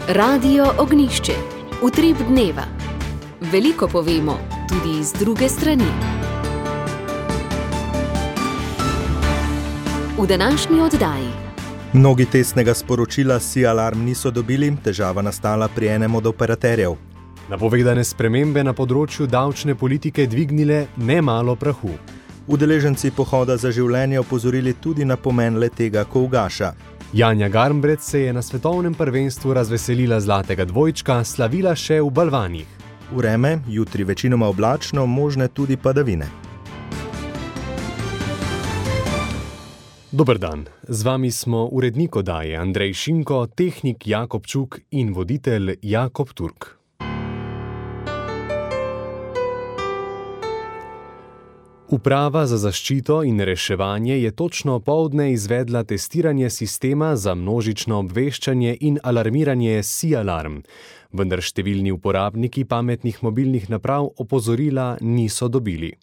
Radio Ognišče, utrip dneva. Veliko povemo, tudi z druge strani. V današnji oddaji. Mnogi testnega sporočila SIAlarm niso dobili, težava nastala pri enem od operaterjev. Napovedane spremembe na področju davčne politike dvignile nemalo prahu. Udeleženci pohoda za življenje opozorili tudi na pomen le-tega, ko ugaša. Janja Garnbret se je na svetovnem prvenstvu razveselila zlatega dvojčka, slavila še v balvanih. Vreme, jutri večinoma oblačno, možne tudi padavine. Dober dan, z vami smo urednik oddaje Andrej Šinko, tehnik Jakob Čuk in voditelj Jakob Turk. Uprava za zaščito in reševanje je točno opoldne izvedla testiranje sistema za množično obveščanje in alarmiranje SIAlarm, vendar številni uporabniki pametnih mobilnih naprav opozorila niso dobili.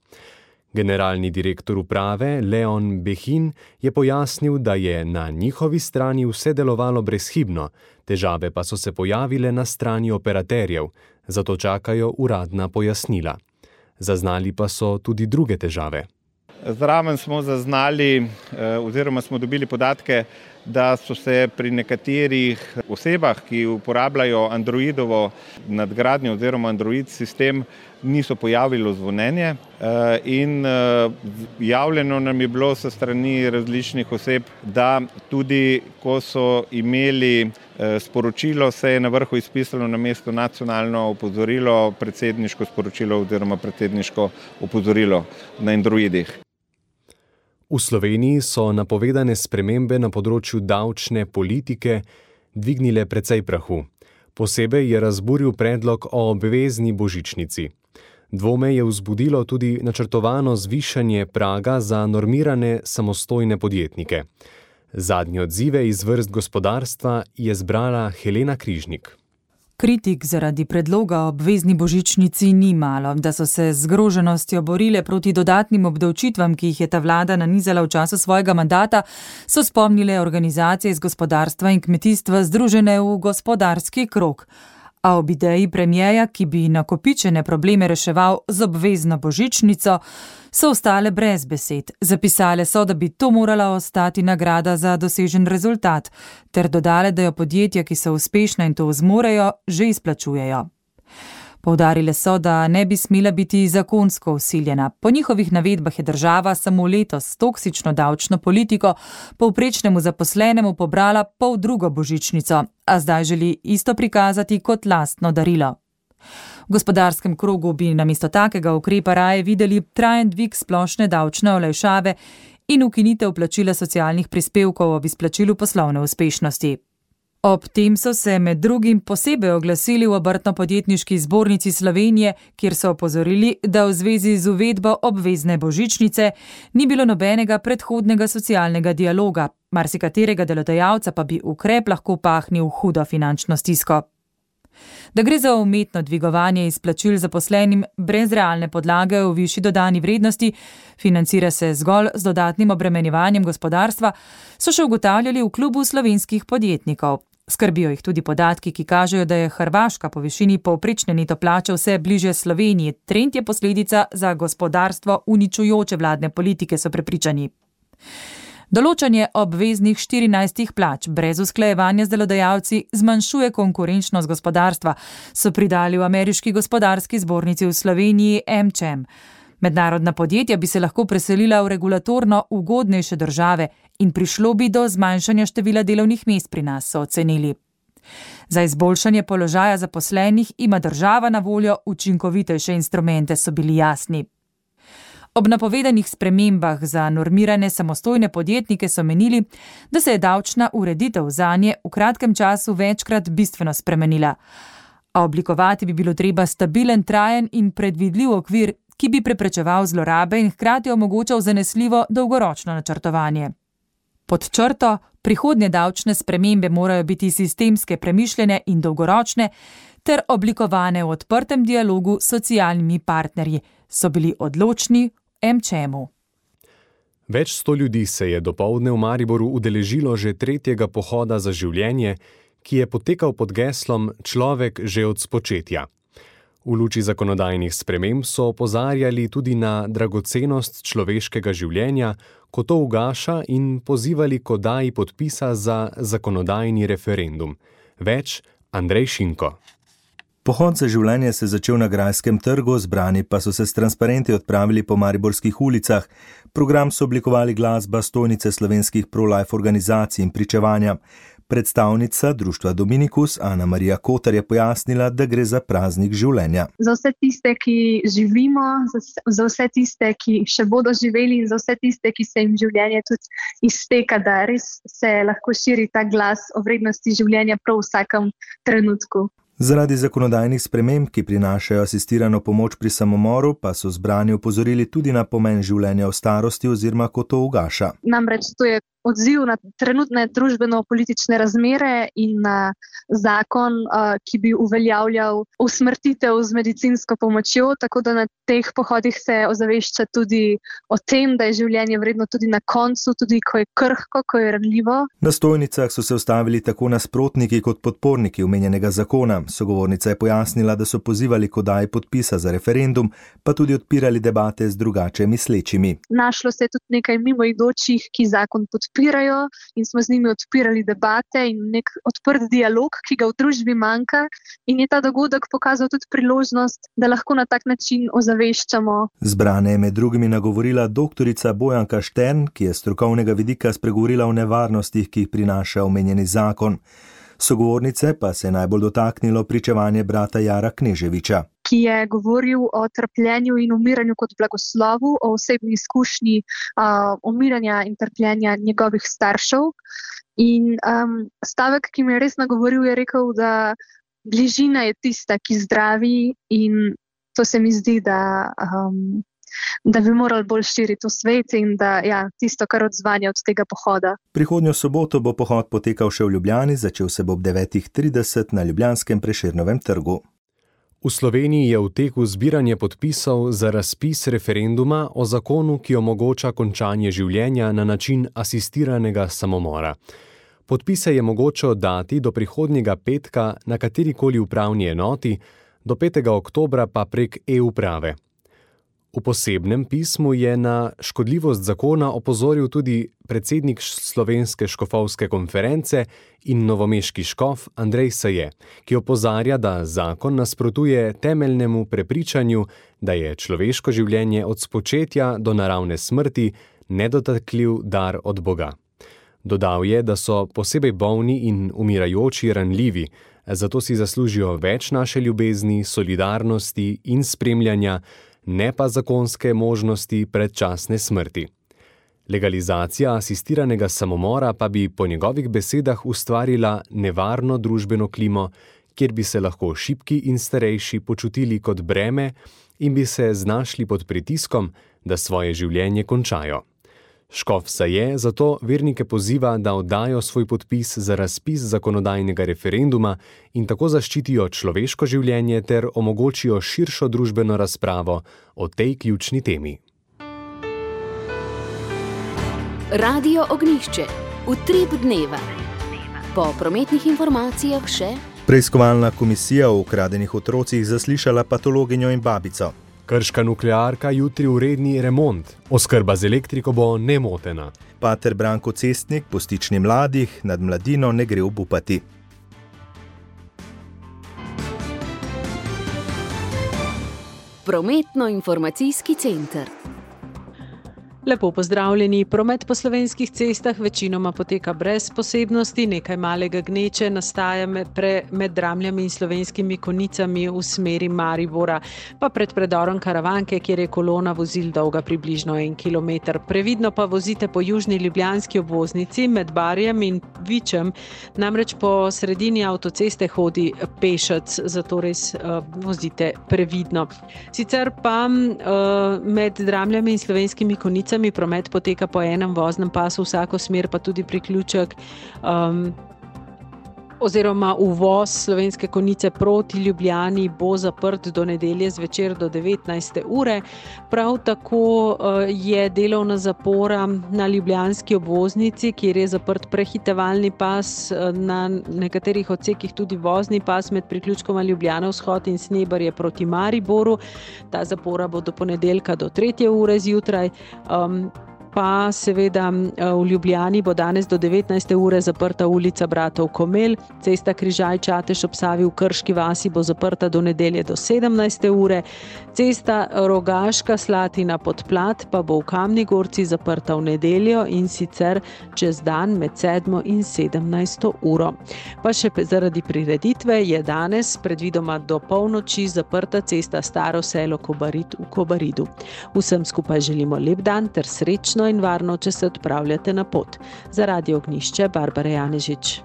Generalni direktor uprave Leon Behin je pojasnil, da je na njihovi strani vse delovalo brezhibno, težave pa so se pojavile na strani operaterjev, zato čakajo uradna pojasnila. Zaznali pa so tudi druge težave. Zraven smo zaznali oziroma smo dobili podatke, da so se pri nekaterih osebah, ki uporabljajo Androidovo nadgradnjo oziroma Android sistem, niso pojavilo zvonjenje in javljeno nam je bilo s strani različnih oseb, da tudi ko so imeli sporočilo, se je na vrhu izpisalo namesto nacionalno opozorilo predsedniško sporočilo oziroma predsedniško opozorilo na Androidih. V Sloveniji so napovedane spremembe na področju davčne politike dvignile precej prahu. Posebej je razburil predlog o obvezni božičnici. Dvome je vzbudilo tudi načrtovano zvišanje praga za normirane samostojne podjetnike. Zadnje odzive iz vrst gospodarstva je zbrala Helena Križnik. Kritik zaradi predloga o obvezni božičnici ni malo, da so se z zgroženostjo borile proti dodatnim obdavčitvam, ki jih je ta vlada nanizala v času svojega mandata, so spomnile organizacije iz gospodarstva in kmetijstva združene v gospodarski krog. A ob ideji premierja, ki bi nakopičene probleme reševal z obvezno božičnico, so ostale brez besed. Zapisale so, da bi to morala ostati nagrada za dosežen rezultat, ter dodale, da jo podjetja, ki so uspešna in to zmorejo, že izplačujejo. Poudarile so, da ne bi smela biti zakonsko vsiljena. Po njihovih navedbah je država samo letos s toksično davčno politiko povprečnemu zaposlenemu pobrala poldrugo božičnico, a zdaj želi isto prikazati kot lastno darilo. V gospodarskem krogu bi namesto takega ukrepa raje videli trajen dvig splošne davčne olajšave in ukinitev plačila socialnih prispevkov ob izplačilu poslovne uspešnosti. Ob tem so se med drugim posebej oglasili v Obrtno-podjetniški zbornici Slovenije, kjer so opozorili, da v zvezi z uvedbo obvezne božičnice ni bilo nobenega predhodnega socialnega dialoga, marsikaterega delodajalca pa bi ukrep lahko pahnil hudo finančno stisko. Da gre za umetno dvigovanje izplačil zaposlenim brez realne podlage v višji dodani vrednosti, financira se zgolj z dodatnim obremenjevanjem gospodarstva, so še ugotavljali v klubu slovenskih podjetnikov. Skrbijo jih tudi podatki, ki kažejo, da je Hrvaška po višini povprečne neto plače vse bliže Sloveniji. Trend je posledica za gospodarstvo uničujoče vladne politike, so prepričani. Določanje obveznih 14 plač brez usklajevanja z delodajalci zmanjšuje konkurenčnost gospodarstva, so pridali v ameriški gospodarski zbornici v Sloveniji AmCham. Mednarodna podjetja bi se lahko preselila v regulatorno ugodnejše države in prišlo bi do zmanjšanja števila delovnih mest pri nas, so ocenili. Za izboljšanje položaja zaposlenih ima država na voljo učinkovitejše instrumente, so bili jasni. Ob napovedanih spremembah za normirane samostojne podjetnike so menili, da se je davčna ureditev zanje v kratkem času večkrat bistveno spremenila. A oblikovati bi bilo treba stabilen, trajen in predvidljiv okvir, ki bi preprečeval zlorabe in hkrati omogočal zanesljivo dolgoročno načrtovanje. Pod črto, prihodnje davčne spremembe morajo biti sistemske, premišljene in dolgoročne ter oblikovane v odprtem dialogu s socialnimi partnerji, so bili odločni v AmChamu. Več 100 ljudi se je dopoldne v Mariboru udeležilo že tretjega pohoda za življenje, ki je potekal pod geslom Človek že od spočetja. V luči zakonodajnih sprememb so opozarjali tudi na dragocenost človeškega življenja, ko to ugaša, in pozivali k oddaji podpisa za zakonodajni referendum. Več Andrej Šinko. Pohod za življenje se je začel na Grajskem trgu, zbrani pa so se s transparenti odpravili po mariborskih ulicah. Program so oblikovali glasba, stojnice slovenskih pro-life organizacij in pričevanja. Predstavnica društva Dominikus Ana Marija Kotar je pojasnila, da gre za praznik življenja. Za vse tiste, ki živimo, za vse tiste, ki še bodo živeli in za vse tiste, ki se jim življenje tudi izteka, da res se lahko širi ta glas o vrednosti življenja prav v vsakem trenutku. Zaradi zakonodajnih sprememb, ki prinašajo asistirano pomoč pri samomoru, pa so zbrani opozorili tudi na pomen življenja v starosti oziroma ko to ugaša. Namreč to je odziv na trenutne družbeno-politične razmere in na zakon, ki bi uveljavljal usmrtitev z medicinsko pomočjo, tako da na teh pohodih se ozavešča tudi o tem, da je življenje vredno tudi na koncu, tudi ko je krhko, ko je ranljivo. Na stojnicah so se ustavili tako nasprotniki kot podporniki omenjenega zakona. Sogovornica je pojasnila, da so pozivali k oddaji podpisa za referendum, pa tudi odpirali debate z drugače mislečimi. Našlo se je tudi nekaj mimoidočih, ki zakon podpirajo in smo z njimi odpirali debate in nek odprt dialog, ki ga v družbi manjka, in je ta dogodek pokazal tudi priložnost, da lahko na tak način ozaveščamo. Zbrane je med drugimi nagovorila doktorica Bojanka Štern, ki je s strokovnega vidika spregovorila o nevarnostih, ki jih prinaša omenjeni zakon. Sogovornice pa se je najbolj dotaknilo pričevanje brata Jara Kneževiča, ki je govoril o trpljenju in umiranju kot blagoslovu, o osebni izkušnji umiranja in trpljenja njegovih staršev. In stavek, ki me je res nagovoril, je rekel, da bližina je tista, ki zdravi, in to se mi zdi, da bi morali bolj širiti v svet in da tisto, kar odzvanja od tega pohoda. Prihodnjo soboto bo pohod potekal še v Ljubljani, začel se bo ob 9:30 na ljubljanskem Prešernovem trgu. V Sloveniji je v teku zbiranje podpisov za razpis referenduma o zakonu, ki omogoča končanje življenja na način asistiranega samomora. Podpise je mogoče oddati do prihodnjega petka na katerikoli upravni enoti, do 5. oktobra pa prek e-uprave. V posebnem pismu je na škodljivost zakona opozoril tudi predsednik Slovenske škofovske konference in novomeški škof Andrej Saje, ki opozarja, da zakon nasprotuje temeljnemu prepričanju, da je človeško življenje od spočetja do naravne smrti nedotakljiv dar od Boga. Dodal je, da so posebej bolni in umirajoči ranljivi, zato si zaslužijo več naše ljubezni, solidarnosti in spremljanja, ne pa zakonske možnosti predčasne smrti. Legalizacija asistiranega samomora pa bi po njegovih besedah ustvarila nevarno družbeno klimo, kjer bi se lahko šibki in starejši počutili kot breme in bi se znašli pod pritiskom, da svoje življenje končajo. Škof Saje zato vernike poziva, da oddajo svoj podpis za razpis zakonodajnega referenduma in tako zaščitijo človeško življenje ter omogočijo širšo družbeno razpravo o tej ključni temi. Radio Ognjišče. Utrip dneva. Po prometnih informacijah še: Preiskovalna komisija o ukradenih otrocih zaslišala patologinjo in babico. Krška nuklearka jutri v redni remont. Oskrba z elektriko bo nemotena. Pater Branko Cestnik po stični mladih nad mladino ne gre obupati. Prometno-informacijski center. Lepo pozdravljeni. Promet po slovenskih cestah večinoma poteka brez posebnosti, nekaj malega gneče nastaja med Dramljami in Slovenskimi Konjicami v smeri Maribora, pa pred predorom Karavanke, kjer je kolona vozil dolga približno 1 kilometer. Previdno pa vozite po južni ljubljanski obvoznici med Barjem in Vičem, namreč po sredini avtoceste hodi pešec, zato res vozite previdno. Sicer pa med Dramljami in Slovenskimi Konjicami promet poteka po enem voznem pasu vsako smer, pa tudi priključek oziroma uvoz Slovenske Konjice proti Ljubljani bo zaprt do nedelje zvečer do 19. ure. Prav tako je delovna zapora na ljubljanski obvoznici, kjer je zaprt prehitevalni pas, na nekaterih odsekih tudi vozni pas med priključkoma Ljubljana vzhod in Snebarje proti Mariboru. Ta zapora bo do ponedeljka do 3. ure zjutraj. Pa seveda v Ljubljani bo danes do 19. ure zaprta ulica Bratov Komel, cesta Križaj-Čatež ob Savi v Krški vasi bo zaprta do nedelje do 17. ure, cesta Rogaška Slatina-Podplat pa bo v Kamni Gorci zaprta v nedeljo in sicer čez dan med 7. in 17. uro. Pa še zaradi prireditve je danes predvidoma do polnoči zaprta cesta Staro selo v Kobaridu. Vsem skupaj želimo lep dan ter srečno in varno, če se odpravljate na pot. Za Radio Ognjišče, Barbara Janežič.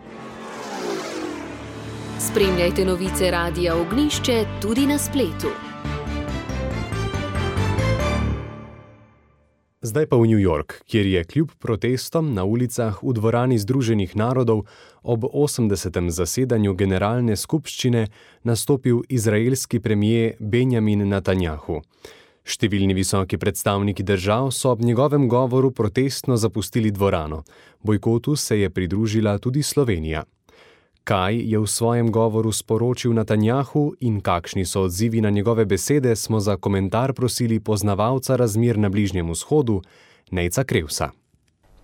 Spremljajte novice Radia Ognjišče tudi na spletu. Zdaj pa v New York, kjer je kljub protestom na ulicah v dvorani Združenih narodov ob 80. zasedanju generalne skupščine nastopil izraelski premier Benjamin Netanjahu. Številni visoki predstavniki držav so ob njegovem govoru protestno zapustili dvorano. Bojkotu se je pridružila tudi Slovenija. Kaj je v svojem govoru sporočil Netanjahu in kakšni so odzivi na njegove besede, smo za komentar prosili poznavalca razmer na Bližnjem vzhodu, Nejca Krevsa.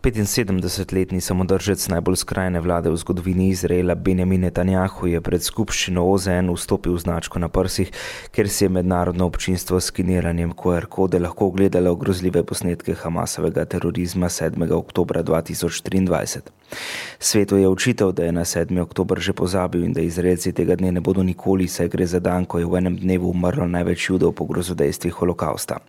75-letni samodržec najbolj skrajne vlade v zgodovini Izraela Benjamin Netanjahu je pred skupščino OZN vstopil značko na prsih, ker si je mednarodno občinstvo s skeniranjem QR kode lahko ogledalo grozljive posnetke Hamasovega terorizma 7. oktobra 2023. Svetu je očital, da je na 7. oktober že pozabil in da Izraelci tega dne ne bodo nikoli, saj gre za dan, ko je v enem dnevu umrlo največ Judov po grozodejstvih holokausta.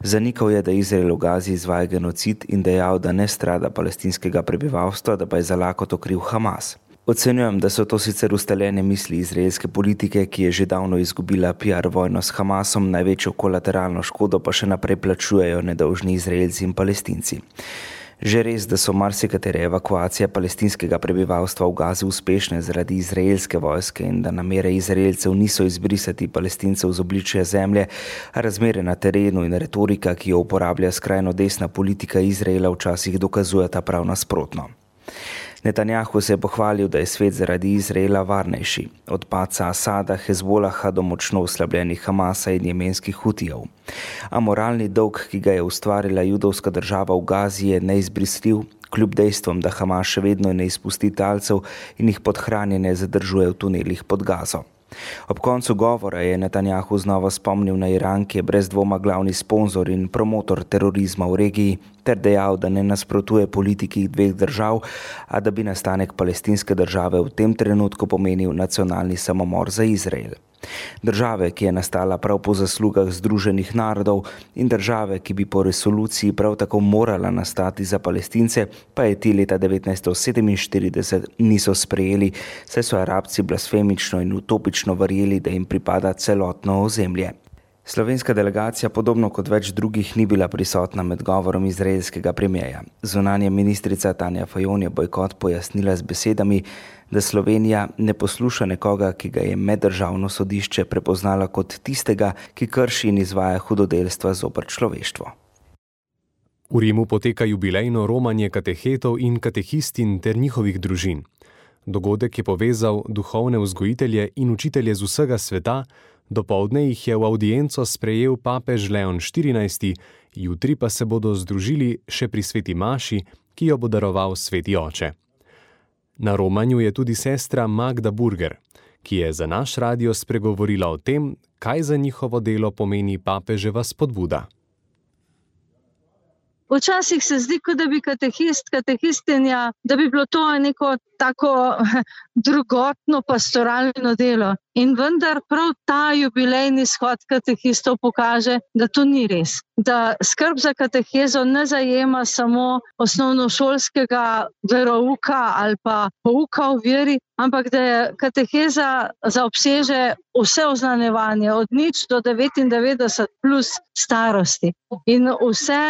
Zanikal je, da Izrael v Gazi izvaja genocid in dejal, da ne strada palestinskega prebivalstva, da pa je za lakoto kriv Hamas. Ocenjujem, da so to sicer ustaljene misli izraelske politike, ki je že davno izgubila PR vojno s Hamasom, največjo kolateralno škodo pa še naprej plačujejo nedolžni Izraelci in Palestinci. Že res, da so marsikatere evakuacije palestinskega prebivalstva v Gazi uspešne zaradi izraelske vojske in da namere Izraelcev niso izbrisati Palestincev z obličja zemlje, a razmere na terenu in retorika, ki jo uporablja skrajno desna politika Izraela, včasih dokazujeta prav nasprotno. Netanjahu se je pohvalil, da je svet zaradi Izraela varnejši, od padca Asada, Hezbolaha do močno oslabljenih Hamasa in jemenskih Hutijev. A moralni dolg, ki ga je ustvarila judovska država v Gazi, je neizbrisljiv, kljub dejstvom, da Hamas še vedno ne izpusti talcev in jih podhranjene zadržuje v tunelih pod Gazo. Ob koncu govora je Netanjahu znova spomnil na Iran, ki je brez dvoma glavni sponzor in promotor terorizma v regiji, ter dejal, da ne nasprotuje politiki dveh držav, a da bi nastanek palestinske države v tem trenutku pomenil nacionalni samomor za Izrael. Države, ki je nastala prav po zaslugah Združenih narodov in države, ki bi po resoluciji prav tako morala nastati za Palestince, pa je ti leta 1947 niso sprejeli, saj so Arabci blasfemično in utopično verjeli, da jim pripada celotno ozemlje. Slovenska delegacija, podobno kot več drugih, ni bila prisotna med govorom izraelskega premierja. Zunanja ministrica Tanja Fajon je bojkot pojasnila z besedami, da Slovenija ne posluša nekoga, ki ga je meddržavno sodišče prepoznala kot tistega, ki krši in izvaja hudodelstva zoper človeštvo. V Rimu poteka jubilejno romanje katehetov in katehistin ter njihovih družin. Dogodek je povezal duhovne vzgojitelje in učitelje z vsega sveta. Dopoldne jih je v audienco sprejel papež Leon XIV, jutri pa se bodo združili še pri sveti maši, ki jo bo daroval sveti oče. Na romanju je tudi sestra Magda Burger, ki je za naš radio spregovorila o tem, kaj za njihovo delo pomeni papeževa spodbuda. Včasih se zdi, kot da bi katehistinja, da bi bilo to neko tako drugotno pastoralno delo. In vendar prav ta jubilejni shod katehistov pokaže, da to ni res. Da skrb za katehezo ne zajema samo osnovnošolskega verouka ali pa pouka o veri, ampak da je kateheza zaobseže vse oznanjevanje, od 0 do 99 plus starosti. In vse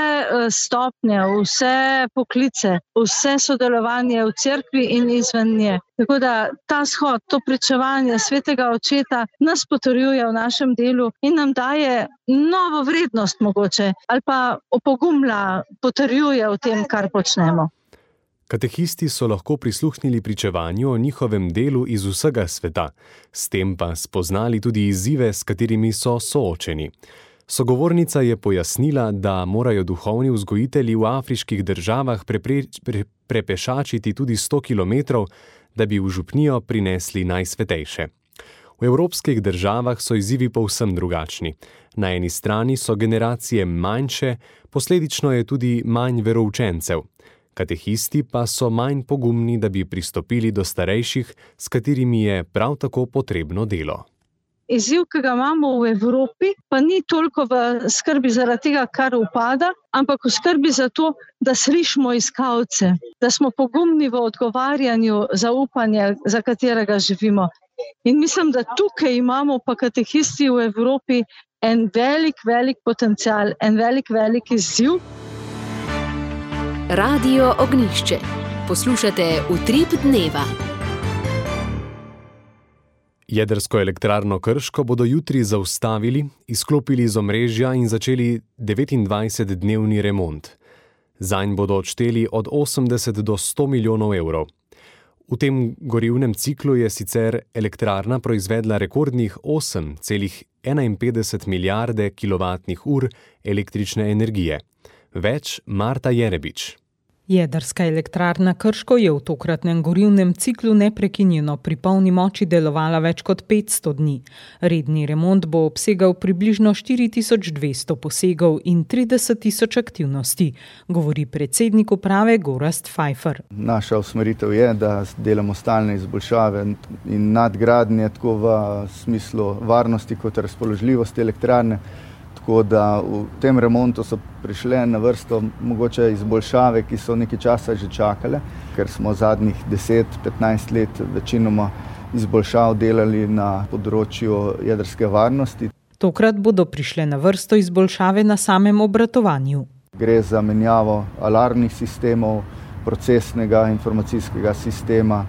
stopnje, vse poklice, vse sodelovanje v cerkvi in izven nje. Tako da ta shod, to pričevanje svetega očeta nas potrjuje v našem delu in nam daje novo vrednost mogoče ali pa opogumlja, potrjuje v tem, kar počnemo. Katehisti so lahko prisluhnili pričevanju o njihovem delu iz vsega sveta, s tem pa spoznali tudi izzive, s katerimi so soočeni. Sogovornica je pojasnila, da morajo duhovni vzgojitelji v afriških državah prepešačiti tudi 100 kilometrov, da bi v župnijo prinesli najsvetejše. V evropskih državah so izzivi povsem drugačni. Na eni strani so generacije manjše, posledično je tudi manj veroučencev. Katehisti pa so manj pogumni, da bi pristopili do starejših, s katerimi je prav tako potrebno delo. Izziv, ki ga imamo v Evropi, pa ni toliko v skrbi zaradi tega, kar upada, ampak v skrbi za to, da slišimo iskalce, da smo pogumni v odgovarjanju za upanje, za katerega živimo. In mislim, da tukaj imamo pa katehisti v Evropi en velik potencial, en velik izziv. Radio Ognjišče. Poslušate Utrip dneva. Jedrsko elektrarno Krško bodo jutri zaustavili, izklopili iz omrežja in začeli 29-dnevni remont. Zanj bodo odšteli od 80 do 100 milijonov evrov. V tem gorivnem ciklu je sicer elektrarna proizvedla rekordnih 8,51 milijarde kilovatnih ur električne energije. Več Marta Jerebič. Jedrska elektrarna Krško je v tokratnem gorivnem ciklu neprekinjeno pri polni moči delovala več kot 500 dni. Redni remont bo obsegal približno 4200 posegov in 30.000 aktivnosti, govori predsednik uprave Gorazd Pfeiffer. Naša usmeritev je, da delamo stalne izboljšave in nadgradnje tako v smislu varnosti kot razpoložljivosti elektrarne. Tako da v tem remontu so prišle na vrsto mogoče izboljšave, ki so nekaj časa že čakale, ker smo zadnjih 10-15 let večinoma izboljšav delali na področju jedrske varnosti. Tokrat bodo prišle na vrsto izboljšave na samem obratovanju. Gre za menjavo alarmnih sistemov, procesnega informacijskega sistema,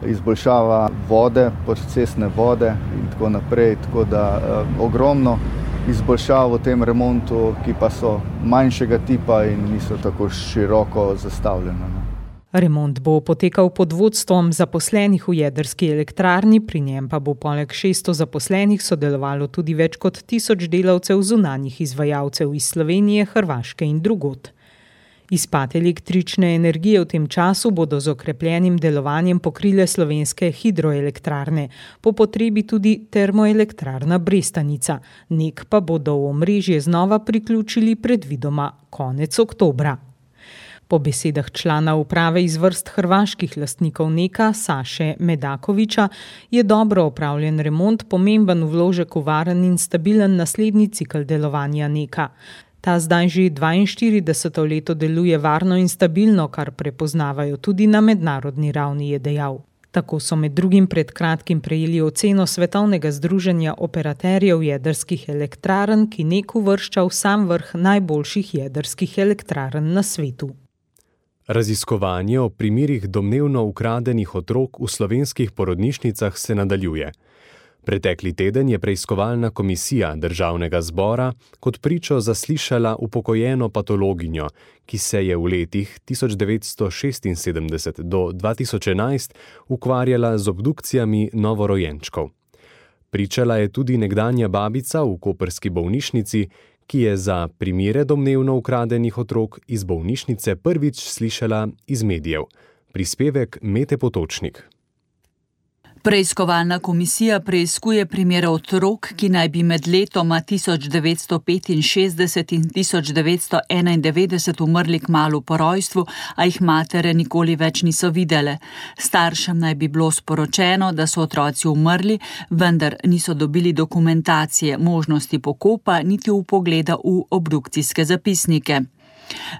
izboljšava vode, procesne vode in tako naprej, tako da ogromno izboljšav v tem remontu, ki pa so manjšega tipa in niso tako široko zastavljene. Remont bo potekal pod vodstvom zaposlenih v jedrski elektrarni, pri njem pa bo poleg 600 zaposlenih sodelovalo tudi več kot 1000 delavcev zunanjih izvajalcev iz Slovenije, Hrvaške in drugod. Izpad električne energije v tem času bodo z okrepljenim delovanjem pokrile slovenske hidroelektrarne, po potrebi tudi termoelektrarna Brestanica. NEK pa bodo v omrežje znova priključili predvidoma konec oktobra. Po besedah člana uprave iz vrst hrvaških lastnikov NEK-a Saše Medakoviča je dobro opravljen remont pomemben vložek v varen in stabilen naslednji cikel delovanja NEK-a. Ta zdaj že 42. leto deluje varno in stabilno, kar prepoznavajo tudi na mednarodni ravni, je dejal. Tako so med drugim pred kratkim prejeli oceno Svetovnega združenja operaterjev jedrskih elektrarn, ki NEK uvršča v sam vrh najboljših jedrskih elektrarn na svetu. Raziskovanje o primerih domnevno ukradenih otrok v slovenskih porodnišnicah se nadaljuje. Pretekli teden je preiskovalna komisija Državnega zbora kot pričo zaslišala upokojeno patologinjo, ki se je v letih 1976 do 2011 ukvarjala z obdukcijami novorojenčkov. Pričala je tudi nekdanja babica v koprski bolnišnici, ki je za primere domnevno ukradenih otrok iz bolnišnice prvič slišala iz medijev. Prispevek Mete Potočnik. Preiskovalna komisija preiskuje primere otrok, ki naj bi med letoma 1965 in 1991 umrli kmalu po rojstvu, a jih matere nikoli več niso videle. Staršem naj bi bilo sporočeno, da so otroci umrli, vendar niso dobili dokumentacije, možnosti pokopa niti vpogleda v obdukcijske zapisnike.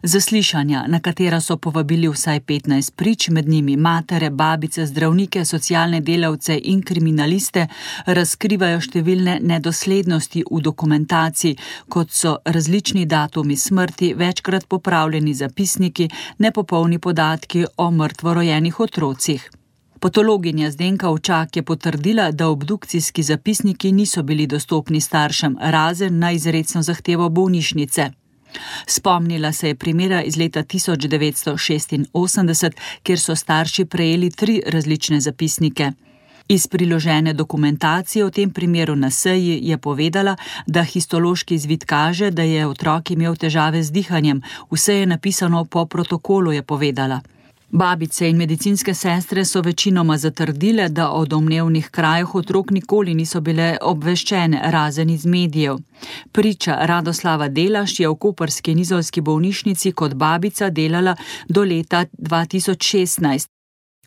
Zaslišanja, na katera so povabili vsaj 15 prič, med njimi matere, babice, zdravnike, socialne delavce in kriminaliste, razkrivajo številne nedoslednosti v dokumentaciji, kot so različni datumi smrti, večkrat popravljeni zapisniki, nepopolni podatki o mrtvorojenih otrocih. Patologinja Zdenka Ovčak je potrdila, da obdukcijski zapisniki niso bili dostopni staršem, razen na izrecno zahtevo bolnišnice. Spomnila se je primera iz leta 1986, kjer so starši prejeli 3 različne zapisnike. Iz priložene dokumentacije o tem primeru na seji je povedala, da histološki izvid kaže, da je otrok imel težave z dihanjem. Vse je napisano po protokolu, je povedala. Babice in medicinske sestre so večinoma zatrdile, da o domnevnih krajih otrok nikoli niso bile obveščene, razen iz medijev. Priča Radoslava Delaš je v koprski in izolski bolnišnici kot babica delala do leta 2016.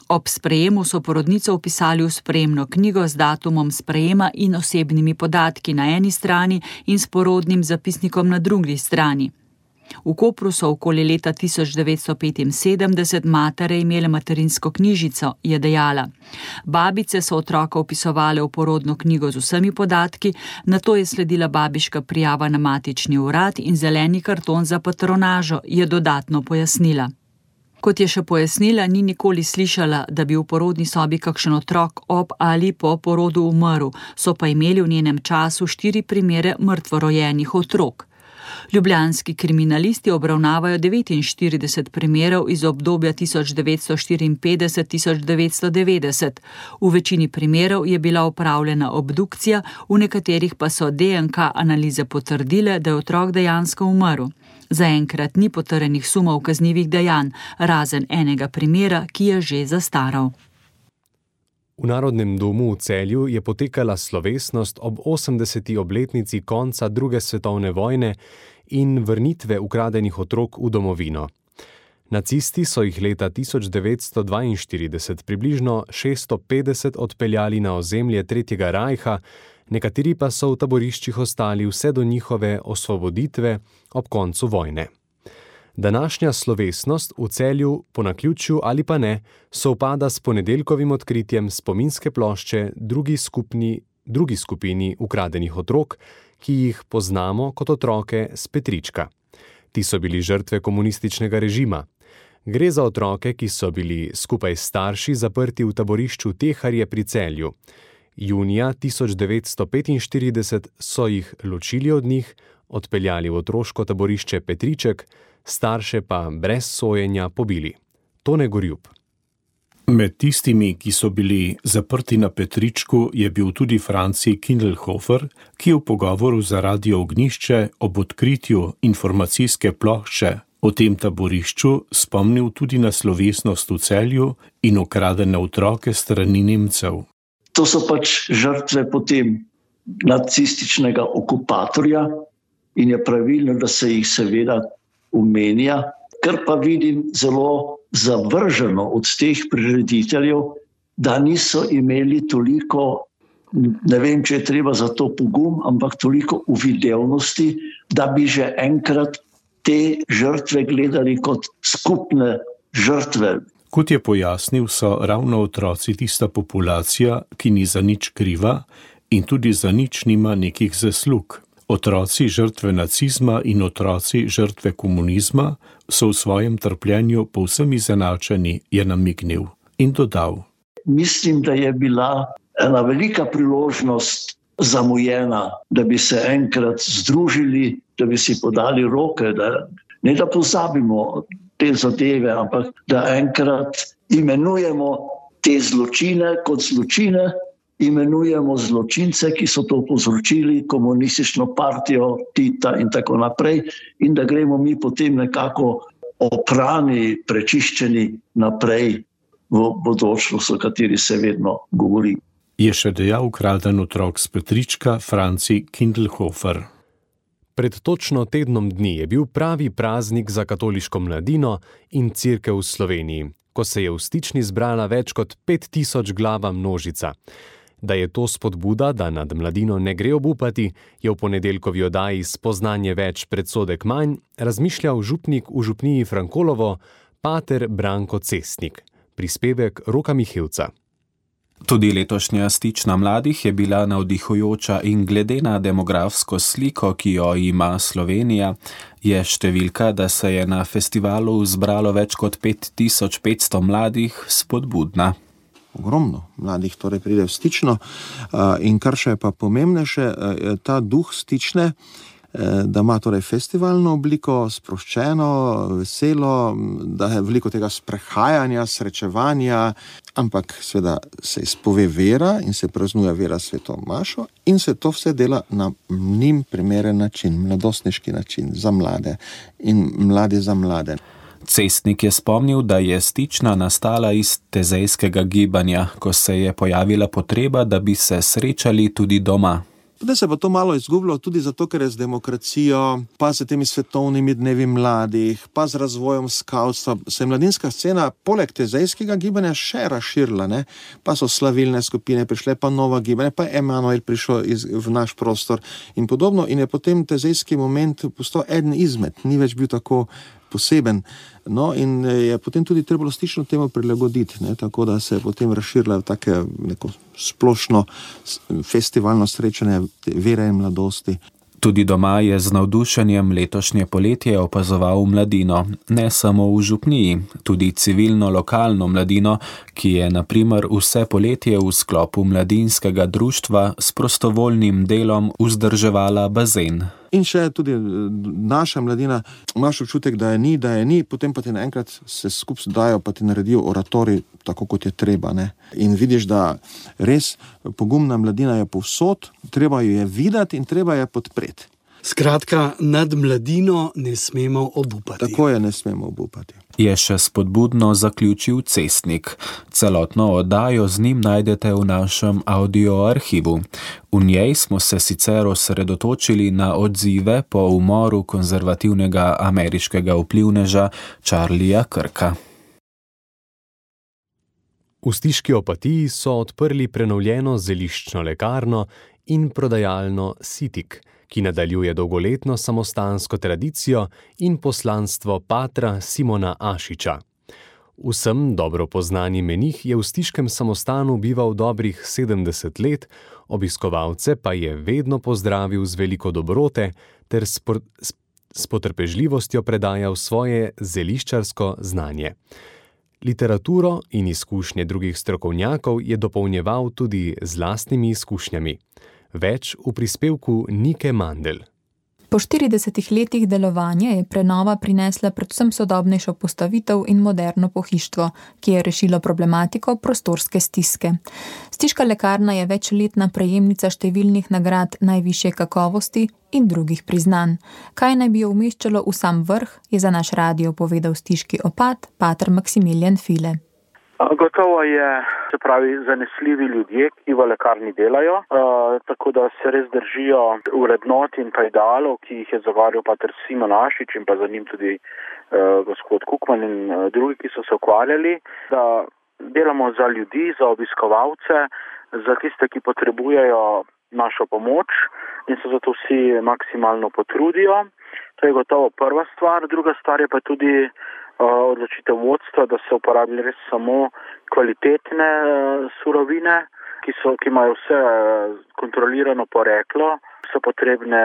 Ob sprejemu so porodnico vpisali v sprejemno knjigo z datumom sprejema in osebnimi podatki na eni strani in s porodnim zapisnikom na drugi strani. V Kopru so okoli leta 1975 matere imele materinsko knjižico, je dejala. Babice so otroka vpisovale v porodno knjigo z vsemi podatki, nato je sledila babiška prijava na matični urad in zeleni karton za patronažo, je dodatno pojasnila. Kot je še pojasnila, ni nikoli slišala, da bi v porodni sobi kakšen otrok ob ali po porodu umrl, so pa imeli v njenem času 4 primere mrtvorojenih otrok. Ljubljanski kriminalisti obravnavajo 49 primerov iz obdobja 1954-1990. V večini primerov je bila opravljena obdukcija, v nekaterih pa so DNK analize potrdile, da je otrok dejansko umrl. Zaenkrat ni potrjenih sumov kaznivih dejanj, razen enega primera, ki je že zastaral. V Narodnem domu v Celju je potekala slovesnost ob 80. obletnici konca II. Svetovne vojne in vrnitve ukradenih otrok v domovino. Nacisti so jih leta 1942 približno 650 odpeljali na ozemlje Tretjega rajha, nekateri pa so v taboriščih ostali vse do njihove osvoboditve ob koncu vojne. Današnja slovesnost v Celju, po naključju ali pa ne, sovpada s ponedeljkovim odkritjem spominske plošče drugi skupini ukradenih otrok, ki jih poznamo kot otroke s Petrička. Ti so bili žrtve komunističnega režima. Gre za otroke, ki so bili skupaj s starši zaprti v taborišču Teharje pri Celju. Junija 1945 so jih ločili od njih, odpeljali v otroško taborišče Petriček, starše pa brez sojenja pobili. Tone Gorjub. Med tistimi, ki so bili zaprti na Petričku, je bil tudi Franci Kindelhofer, ki je v pogovoru za Radio Ognjišče ob odkritju informacijske plošče o tem taborišču spomnil tudi na slovesnost v Celju in ukradene otroke strani Nemcev. To so pač žrtve potem nacističnega okupatorja in je pravilno, da se jih seveda omenja, kar pa vidim zelo zavrženo od teh prirediteljev, da niso imeli toliko, ne vem, če je treba za to pogum, ampak toliko uvidevnosti, da bi že enkrat te žrtve gledali kot skupne žrtve. Kot je pojasnil, so ravno otroci tista populacija, ki ni za nič kriva in tudi za nič nima nekih zaslug. Otroci žrtve nacizma in otroci žrtve komunizma so v svojem trpljenju povsem izenačeni, je namignil in dodal. Mislim, da je bila ena velika priložnost zamujena, da bi se enkrat združili, da bi si podali roke, ne da pozabimo te zadeve, ampak da enkrat imenujemo te zločine kot zločine, imenujemo zločince, ki so to povzročili, komunistično partijo Tita in tako naprej, in da gremo mi potem nekako oprani, prečiščeni naprej v bodočnost, o kateri se vedno govori. Je še dejal ukraden otrok s Petrička Franci Kindelhofer. Pred točno tednom dni je bil pravi praznik za katoliško mladino in cerkev v Sloveniji, ko se je v Stični zbrala več kot 5000 glava množica. Da je to spodbuda, da nad mladino ne gre obupati, je v ponedeljkovi oddaji Spoznanje več, predsodek manj razmišljal župnik v župniji Frankolovo, pater Branko Cestnik. Prispevek Roka Mihevca. Tudi letošnja Stična mladih je bila navdihujoča in glede na demografsko sliko, ki jo ima Slovenija, je številka, da se je na festivalu zbralo več kot 5500 mladih, spodbudna. ogromno mladih torej pride v Stično in kar še je pa pomembnejše, ta duh Stične, da ima torej festivalno obliko, sproščeno, veselo, da je veliko tega sprehajanja, srečevanja, ampak seveda se izpove vera in se praznuje vera Sveto mašo in se to vse dela na njim primeren način, mladostniški način za mlade in mladi za mlade. Cestnik je spomnil, da je Stična nastala iz tezejskega gibanja, ko se je pojavila potreba, da bi se srečali tudi doma. Zdaj se pa to malo izgubilo tudi zato, ker je z demokracijo, pa s temi svetovnimi dnevi mladih, pa z razvojem skavtstva, se je mladinska scena poleg tezejskega gibanja še razširila, ne? Pa so slavilne skupine prišle, pa nova gibanja, pa je Emanuel prišel v naš prostor in podobno in je potem tezejski moment postal eden izmed, ni več bil tako poseben. No in je potem tudi trebalo Stično temu prilagoditi, ne? Tako da se je potem razširila v neko splošno festivalno srečanje vere in mladosti. Tudi doma je z navdušenjem letošnje poletje opazoval mladino, ne samo v župniji, tudi civilno lokalno mladino, ki je na primer vse poletje v sklopu mladinskega društva s prostovoljnim delom vzdrževala bazen. In še tudi naša mladina, imaš občutek, da je ni, potem pa ti naenkrat se skupaj dajo, pa ti naredijo oratorij tako, kot je treba, ne. In vidiš, da res pogumna mladina je povsod, treba jo je videti in treba je podpreti. Skratka, nad mladino ne smemo obupati. Tako je, ne smemo obupati. Je še spodbudno zaključil Cestnik. Celotno oddajo z njim najdete v našem audioarhivu. V njej smo se sicer osredotočili na odzive po umoru konzervativnega ameriškega vplivneža Charlieja Kirka. V Stiški Opatiji so odprli prenovljeno zeliščno lekarno in prodajalno Sitik, ki nadaljuje dolgoletno samostansko tradicijo in poslanstvo patra Simona Ašiča. Vsem dobro poznani menih je v stiškem samostanu bival dobrih 70 let, obiskovalce pa je vedno pozdravil z veliko dobrote ter s potrpežljivostjo predajal svoje zeliščarsko znanje. Literaturo in izkušnje drugih strokovnjakov je dopolnjeval tudi z lastnimi izkušnjami. Več v prispevku Nike Mandl. Po 40 letih delovanja je prenova prinesla predvsem sodobnejšo postavitev in moderno pohištvo, ki je rešilo problematiko prostorske stiske. Stiška lekarna je večletna prejemnica številnih nagrad najvišje kakovosti in drugih priznanj. Kaj naj bi jo umeščalo v sam vrh, je za naš radio povedal stiški opat, pater Maksimilijan File. Gotovo je, se pravi, zanesljivi ljudje, ki v lekarni delajo, tako da se res držijo vrednot in pa idealov, ki jih je zagovarjal pater Simon Ašič in pa za njim tudi gospod Kukman in drugi, ki so se ukvarjali, da delamo za ljudi, za obiskovalce, za tiste, ki potrebujejo našo pomoč in se zato vsi maksimalno potrudijo. To je gotovo prva stvar. Druga stvar je pa tudi odločitev vodstva, da se uporabljajo res samo kvalitetne surovine, ki imajo vse kontrolirano poreklo, so potrebne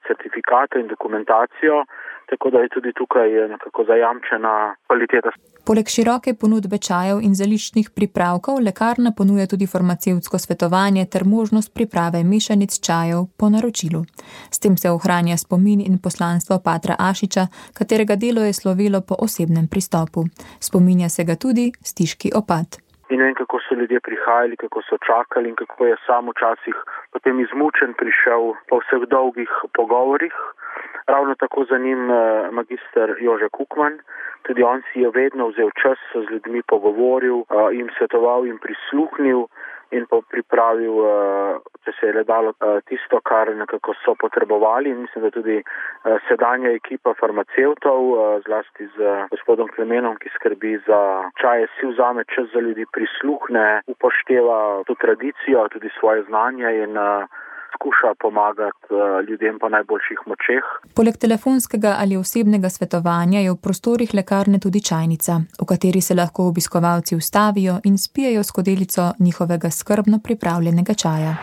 certifikate in dokumentacijo, tako da je tudi tukaj nekako zajamčena kvaliteta. Poleg široke ponudbe čajev in zeliščnih pripravkov, lekarna ponuja tudi farmacevtsko svetovanje ter možnost priprave mešanic čajev po naročilu. S tem se ohranja spomin in poslanstvo patra Ašiča, katerega delo je slovelo po osebnem pristopu. Spominja se ga tudi stiški opat. In vem, kako so ljudje prihajali, kako so čakali in kako je sam včasih potem izmučen prišel po vseh dolgih pogovorih. Ravno tako za njim magister Jože Kukman. Tudi on si je vedno vzel čas, z ljudmi pogovoril, jim svetoval in prisluhnil in pripravil, če se je le dalo, tisto, kar nekako so potrebovali. In mislim, da tudi sedanja ekipa farmacevtov, zlasti z gospodom Klemenom, ki skrbi za čaje, si vzame čas za ljudi, prisluhne, upošteva to tradicijo, tudi svoje znanje in skuša pomagati ljudem po najboljših močeh. Poleg telefonskega ali osebnega svetovanja je v prostorih lekarne tudi čajnica, v kateri se lahko obiskovalci ustavijo in spijejo skodelico njihovega skrbno pripravljenega čaja.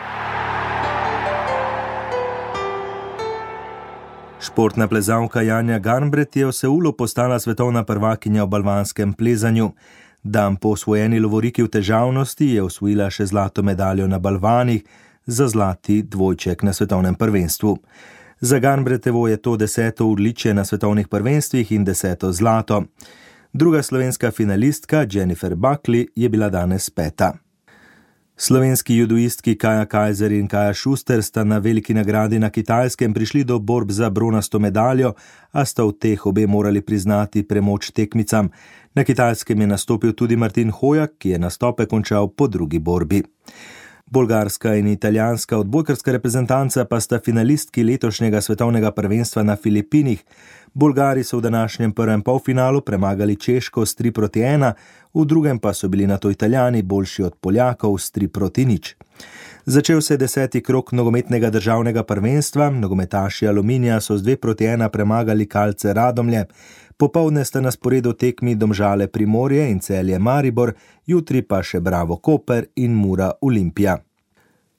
Športna plezalka Janja Garnbret je v Seulu postala svetovna prvakinja v balvanskem plezanju. Dan po osvojeni lovoriki v težavnosti je osvojila še zlato medaljo na balvanih za zlati dvojček na svetovnem prvenstvu. Za Garnbrettevo je to 10. odličje na svetovnih prvenstvih in 10. zlato. Druga slovenska finalistka Jennifer Buckley je bila danes 5. Slovenski judoistki Kaja Kajzer in Kaja Šuster sta na veliki nagradi na Kitajskem prišli do borb za bronasto medaljo, a sta v teh obe morali priznati premoč tekmicam. Na Kitajskem je nastopil tudi Martin Hojak, ki je nastope končal po drugi borbi. Bolgarska in italijanska odbojkarska reprezentanca pa sta finalistki letošnjega svetovnega prvenstva na Filipinih. Bolgari so v današnjem prvem polfinalu premagali Češko s 3-1, v drugem pa so bili nato Italijani boljši od Poljakov s 3-0. Začel se je 10. krog nogometnega državnega prvenstva, nogometaši Aluminija so z 2-1 premagali Kalce Radomlje. Popoldne sta na sporedu tekmi Domžale Primorje in Celje Maribor, jutri pa še Bravo Koper in Mura Olimpija.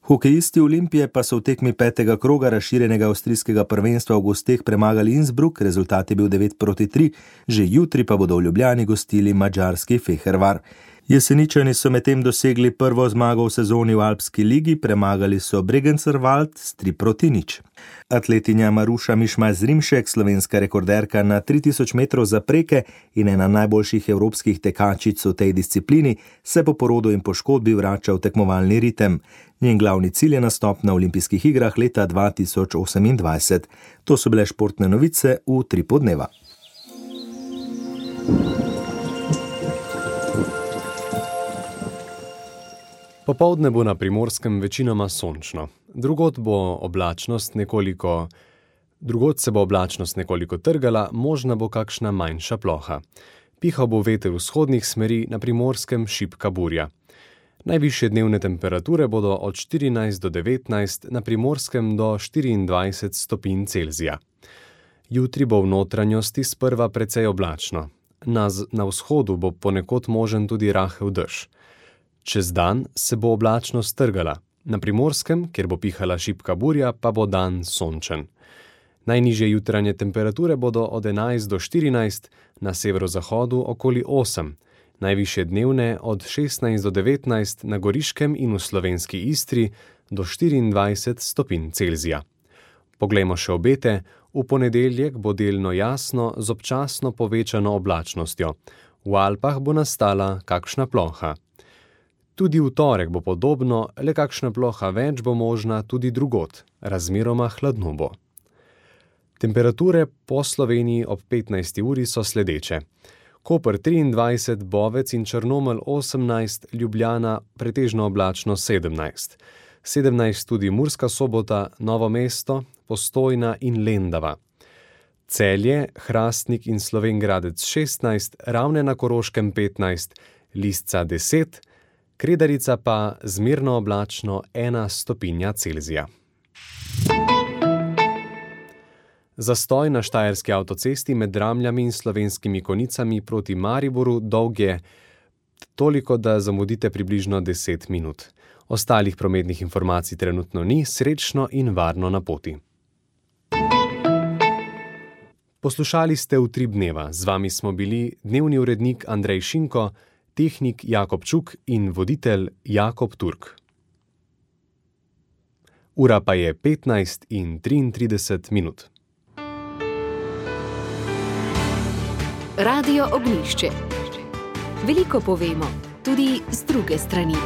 Hokejisti Olimpije pa so v tekmi 5. kroga razširjenega avstrijskega prvenstva v gosteh premagali Innsbruck, rezultat je bil 9-3, že jutri pa bodo v Ljubljani gostili madžarski Fehervar. Jeseničani so medtem dosegli prvo zmago v sezoni v Alpski ligi, premagali so Bregenzer-Wald s 3-0. Atletinja Maruša Mišmaj-Zrimšek, slovenska rekorderka na 3000 metrov zapreke in ena najboljših evropskih tekačic v tej disciplini, se po porodu in poškodbi vrača v tekmovalni ritem. Njen glavni cilj je nastop na olimpijskih igrah leta 2028. To so bile športne novice v Utripu dneva. Popoldne bo na Primorskem večinoma sončno. Drugod se bo oblačnost nekoliko trgala, možna bo kakšna manjša ploha. Pihal bo veter vzhodnih smeri, na Primorskem šibka burja. Najvišje dnevne temperature bodo od 14 do 19, na Primorskem do 24 stopinj Celzija. Jutri bo v notranjosti sprva precej oblačno. Na vzhodu bo ponekod možen tudi rahel dež. Čez dan se bo oblačnost strgala. Na Primorskem, kjer bo pihala šibka burja, pa bo dan sončen. Najnižje jutranje temperature bodo od 11 do 14, na severozahodu okoli 8. Najvišje dnevne od 16 do 19, na Goriškem in v slovenski Istri do 24 stopinj Celzija. Poglejmo še obete. V ponedeljek bo delno jasno z občasno povečano oblačnostjo. V Alpah bo nastala kakšna ploha. Tudi v torek bo podobno, le kakšna ploha več bo možna tudi drugod, razmeroma hladno bo. Temperature po Sloveniji ob 15. uri so sledeče. Koper 23, Bovec in Črnomelj 18, Ljubljana pretežno oblačno 17. 17 tudi Murska Sobota, Novo mesto, Postojna in Lendava. Celje, Hrastnik in Slovenj Gradec 16, Ravne na Koroškem 15, Lisca 10, Kredarica pa zmerno oblačno 1 stopinja Celzija. Zastoj na štajerski avtocesti med Dramljami in Slovenskimi Konicami proti Mariboru dolg je toliko, da zamudite približno 10 minut. Ostalih prometnih informacij trenutno ni, srečno in varno na poti. Poslušali ste Utrip dneva, z vami smo bili dnevni urednik Andrej Šinko, tehnik Jakob Čuk in voditelj Jakob Turk. Ura pa je 15:33 minut. Radio Ognjišče. Veliko povemo, tudi z druge strani.